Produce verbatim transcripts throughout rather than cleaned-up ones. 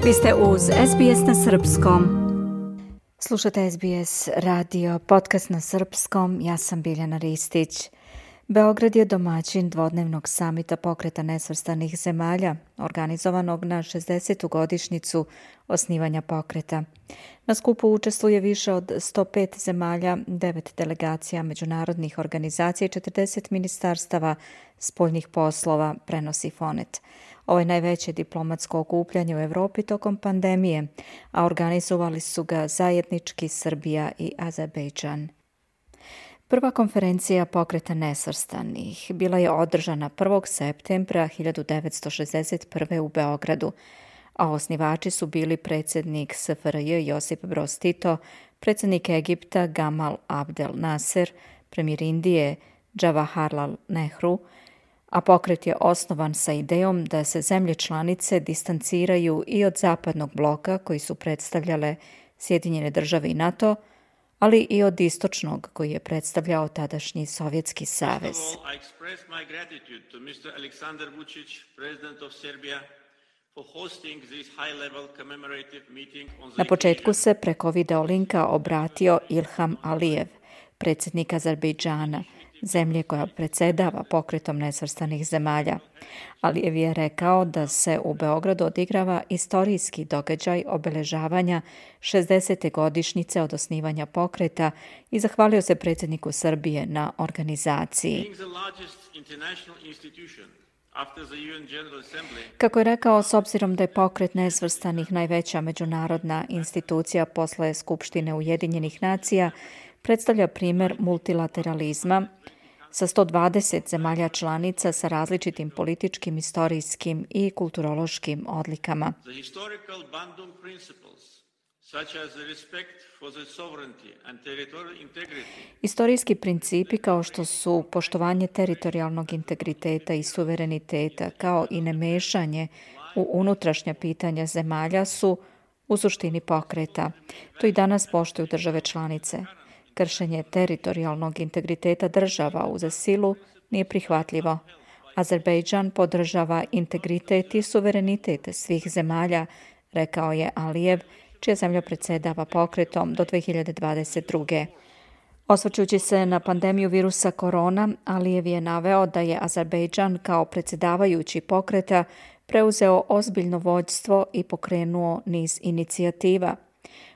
Vi ste uz S B S na srpskom. Slušate S B S radio, podcast na srpskom. Ja sam Biljana Ristić. Beograd je domaćin dvodnevnog samita Pokreta nesvrstanih zemalja, organizovanog na šezdesetu godišnjicu osnivanja pokreta. Na skupu učestvuje više od sto pet zemalja, devet delegacija međunarodnih organizacija i četrdeset ministarstava spoljnih poslova, prenosi Fonet. Ovo je najveće diplomatsko okupljanje u Evropi tokom pandemije, a organizovali su ga zajednički Srbija i Azerbejdžan. Prva konferencija Pokreta nesvrstanih bila je održana prvog septembra hiljadu devetsto šezdeset prve. u Beogradu, a osnivači su bili predsjednik S F R J Josip Broz Tito, predsjednik Egipta Gamal Abdel Nasser, premijer Indije Jawaharlal Nehru, a pokret je osnovan sa idejom da se zemlje članice distanciraju i od zapadnog bloka koji su predstavljale Sjedinjene države i NATO, ali i od istočnog koji je predstavljao tadašnji Sovjetski savez. Na početku se preko video linka obratio Ilham Alijev, predsjednik Azerbejdžana, zemlje koja predsjedava pokretom nesvrstanih zemalja. Alijev je rekao da se u Beogradu odigrava istorijski događaj obeležavanja šezdesete godišnjice od osnivanja pokreta i zahvalio se predsjedniku Srbije na organizaciji. Kako je rekao, s obzirom da je pokret nesvrstanih najveća međunarodna institucija posle Skupštine Ujedinjenih nacija, predstavlja primjer multilateralizma sa sto dvadeset zemalja članica sa različitim političkim, istorijskim i kulturološkim odlikama. Istorijski principi kao što su poštovanje teritorijalnog integriteta i suvereniteta, kao i nemešanje u unutrašnja pitanja zemalja su u suštini pokreta. To i danas poštuju države članice. Kršenje teritorijalnog integriteta država uz silu nije prihvatljivo. Azerbejdžan podržava integritet i suverenitet svih zemalja, rekao je Alijev, čija zemlja predsjedava pokretom do dve hiljade dvadeset druge. Osvrćući se na pandemiju virusa korona, Alijev je naveo da je Azerbejdžan kao predsjedavajući pokreta preuzeo ozbiljno vođstvo i pokrenuo niz inicijativa.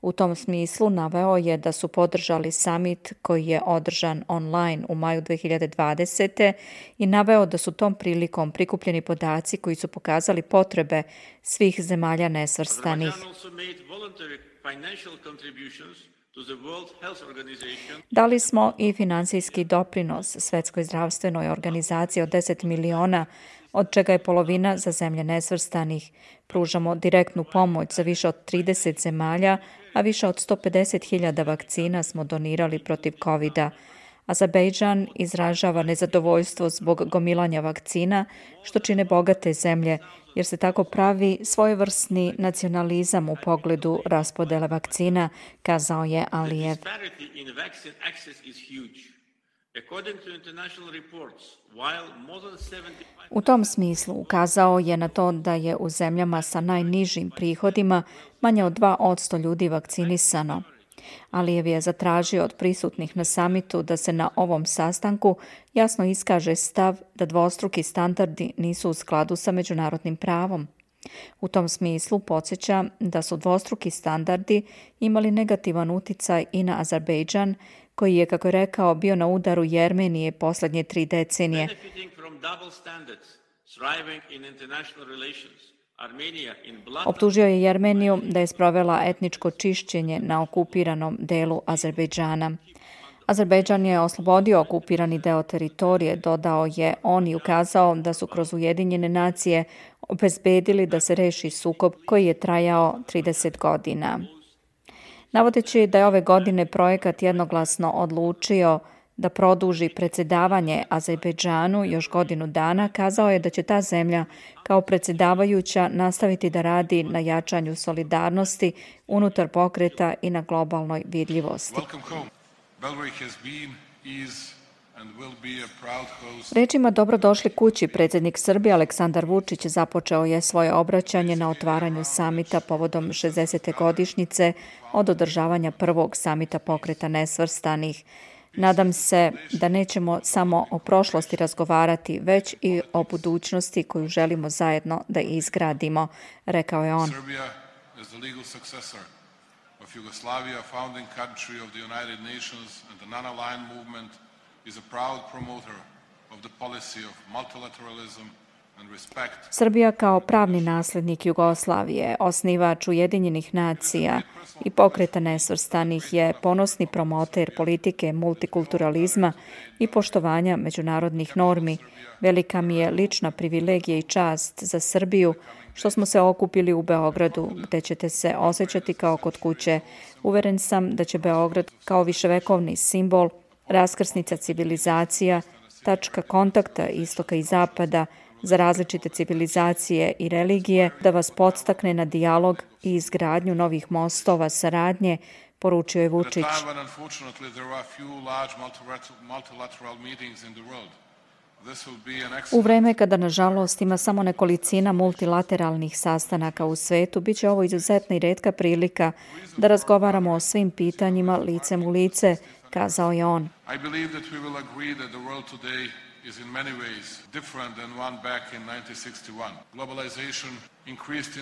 U tom smislu naveo je da su podržali summit koji je održan online u maju dve hiljade dvadesete. i naveo da su tom prilikom prikupljeni podaci koji su pokazali potrebe svih zemalja nesvrstanih. Dali smo i financijski doprinos Svjetskoj zdravstvenoj organizaciji od deset miliona, od čega je polovina za zemlje nesvrstanih. Pružamo direktnu pomoć za više od trideset zemalja, a više od sto pedeset hiljada vakcina smo donirali protiv kovida. Azerbejdžan izražava nezadovoljstvo zbog gomilanja vakcina, što čine bogate zemlje, jer se tako pravi svojevrsni nacionalizam u pogledu raspodele vakcina, kazao je Alijev. U tom smislu ukazao je na to da je u zemljama sa najnižim prihodima manje od dva posto ljudi vakcinisano. Alijev je zatražio od prisutnih na samitu da se na ovom sastanku jasno iskaže stav da dvostruki standardi nisu u skladu sa međunarodnim pravom. U tom smislu podsjeća da su dvostruki standardi imali negativan uticaj i na Azerbejdžan, koji je, kako je rekao, bio na udaru Jermenije posljednje tri decenije. Optužio je Jermeniju da je sprovela etničko čišćenje na okupiranom delu Azerbejdžana. Azerbejdžan je oslobodio okupirani deo teritorije, dodao je on i ukazao da su kroz Ujedinjene nacije obezbedili da se reši sukob koji je trajao trideset godina. Navodeći da je ove godine projekat jednoglasno odlučio da produži predsjedavanje Azerbejdžanu još godinu dana, kazao je da će ta zemlja kao predsjedavajuća nastaviti da radi na jačanju solidarnosti unutar pokreta i na globalnoj vidljivosti. Rečima dobrodošli kući predsjednik Srbije Aleksandar Vučić započeo je svoje obraćanje na otvaranju samita povodom šezdesete godišnjice od održavanja prvog samita Pokreta nesvrstanih. Nadam se da nećemo samo o prošlosti razgovarati, već i o budućnosti koju želimo zajedno da izgradimo, rekao je on. Srbija kao pravni nasljednik Jugoslavije, osnivač Ujedinjenih nacija i Pokreta nesvrstanih je ponosni promoter politike multikulturalizma i poštovanja međunarodnih normi. Velika mi je lična privilegija i čast za Srbiju što smo se okupili u Beogradu, gde ćete se osjećati kao kod kuće. Uveren sam da će Beograd kao viševekovni simbol, raskrsnica civilizacija, tačka kontakta istoka i zapada za različite civilizacije i religije, da vas podstakne na dijalog i izgradnju novih mostova saradnje, poručio je Vučić. U vreme kada, nažalost, ima samo nekolicina multilateralnih sastanaka u svetu, bit će ovo izuzetna i retka prilika da razgovaramo o svim pitanjima licem u lice, kazao je on. Is in many ways different than one back in nineteen sixty-one. Globalization increased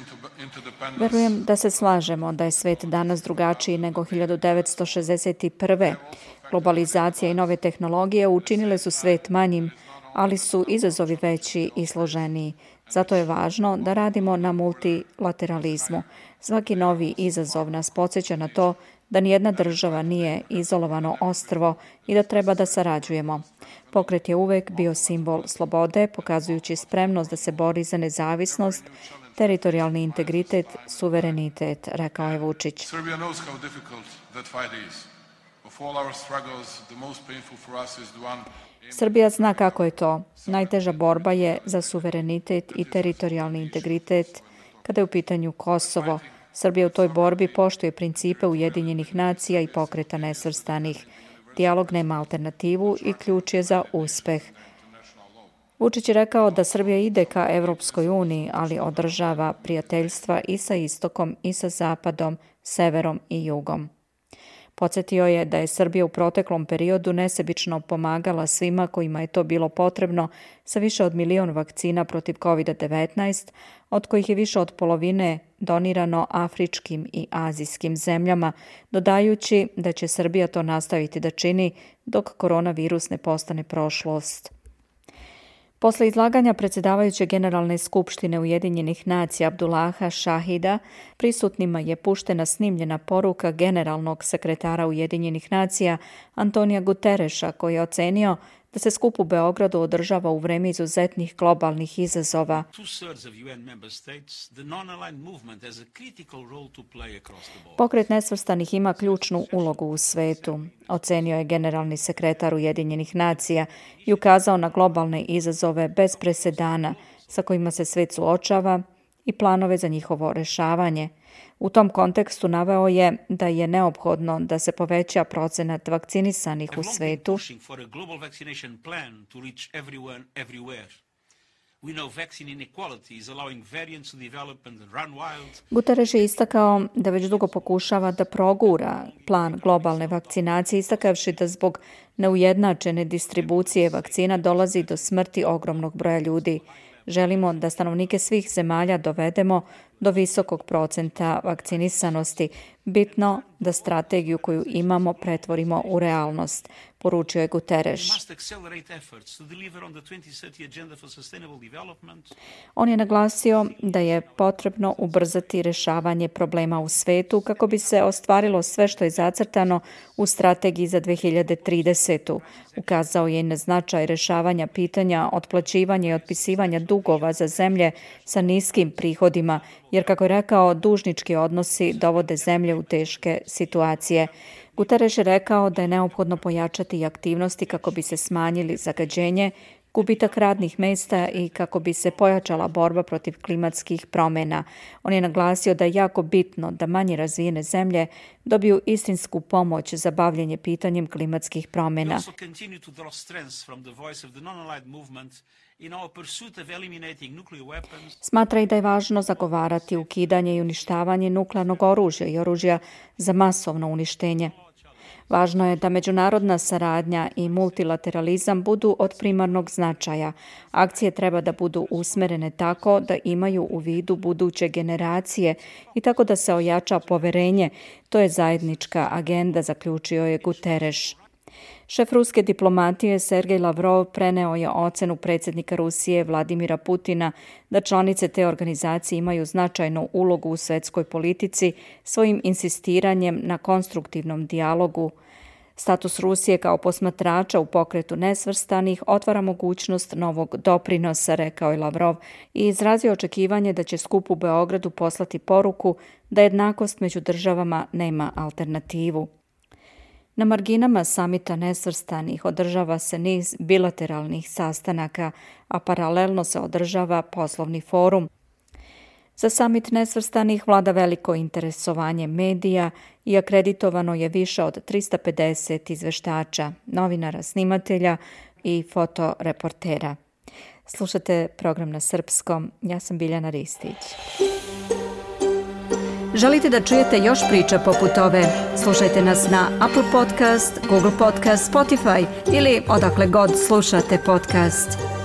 interdependence. Verujem da se slažemo da je svet danas drugačiji nego hiljadu devetsto šezdeset prve. Globalizacija i nove tehnologije učinile su svet manjim, ali su izazovi veći i složeniji. Zato je važno da radimo na multilateralizmu. Svaki novi izazov nas podsjeća na to da nijedna država nije izolovano ostrvo i da treba da sarađujemo. Pokret je uvek bio simbol slobode, pokazujući spremnost da se bori za nezavisnost, teritorijalni integritet, suverenitet, rekao je Vučić. Srbija zna kako je to. Najteža borba je za suverenitet i teritorijalni integritet kada je u pitanju Kosovo. Srbija u toj borbi poštuje principe Ujedinjenih nacija i Pokreta nesvrstanih. Dijalog nema alternativu i ključ je za uspeh. Vučić je rekao da Srbija ide ka Evropskoj uniji, ali održava prijateljstva i sa istokom i sa zapadom, severom i jugom. Podsjetio je da je Srbija u proteklom periodu nesebično pomagala svima kojima je to bilo potrebno sa više od milion vakcina protiv kovid devetnaest, od kojih je više od polovine donirano afričkim i azijskim zemljama, dodajući da će Srbija to nastaviti da čini dok koronavirus ne postane prošlost. Posle izlaganja predsjedavajuće Generalne skupštine Ujedinjenih nacija Abdullaha Šahida, prisutnima je puštena snimljena poruka generalnog sekretara Ujedinjenih nacija Antonija Gutereša, koji je ocenio da se skup u Beogradu održava u vreme izuzetnih globalnih izazova. Pokret nesvrstanih ima ključnu ulogu u svetu, ocenio je generalni sekretar Ujedinjenih nacija i ukazao na globalne izazove bez presedana sa kojima se svet suočava i planove za njihovo rešavanje. U tom kontekstu naveo je da je neophodno da se poveća procenat vakcinisanih u svetu. Guterres je istakao da već dugo pokušava da progura plan globalne vakcinacije, istakavši da zbog neujednačene distribucije vakcina dolazi do smrti ogromnog broja ljudi. Želimo da stanovnike svih zemalja dovedemo do visokog procenta vakcinisanosti. Bitno da strategiju koju imamo pretvorimo u realnost, poručio je Guterres. On je naglasio da je potrebno ubrzati rešavanje problema u svetu kako bi se ostvarilo sve što je zacrtano u strategiji za dve hiljade tridesetu. Ukazao je i na značaj rešavanja pitanja otplaćivanja i otpisivanja dugova za zemlje sa niskim prihodima, jer, kako je rekao, dužnički odnosi dovode zemlje u teške situacije. Guterres je rekao da je neophodno pojačati aktivnosti kako bi se smanjili zagađenje, gubitak radnih mjesta i kako bi se pojačala borba protiv klimatskih promjena. On je naglasio da je jako bitno da manje razvijene zemlje dobiju istinsku pomoć za bavljenje pitanjem klimatskih promjena. Smatra i da je važno zagovarati ukidanje i uništavanje nuklearnog oružja i oružja za masovno uništenje. Važno je da međunarodna saradnja i multilateralizam budu od primarnog značaja. Akcije treba da budu usmerene tako da imaju u vidu buduće generacije i tako da se ojača poverenje. To je zajednička agenda, zaključio je Guterres. Šef ruske diplomatije Sergej Lavrov preneo je ocenu predsjednika Rusije Vladimira Putina da članice te organizacije imaju značajnu ulogu u svjetskoj politici svojim insistiranjem na konstruktivnom dijalogu. Status Rusije kao posmatrača u pokretu nesvrstanih otvara mogućnost novog doprinosa, rekao je Lavrov i izrazio očekivanje da će skup u Beogradu poslati poruku da jednakost među državama nema alternativu. Na marginama samita nesvrstanih održava se niz bilateralnih sastanaka, a paralelno se održava poslovni forum. Za samit nesvrstanih vlada veliko interesovanje medija i akreditovano je više od tristo pedeset izveštača, novinara, snimatelja i fotoreportera. Slušate program na srpskom. Ja sam Biljana Ristić. Želite da čujete još priča poput ove? Slušajte nas na Apple Podcast, Google Podcast, Spotify ili odakle god slušate podcast.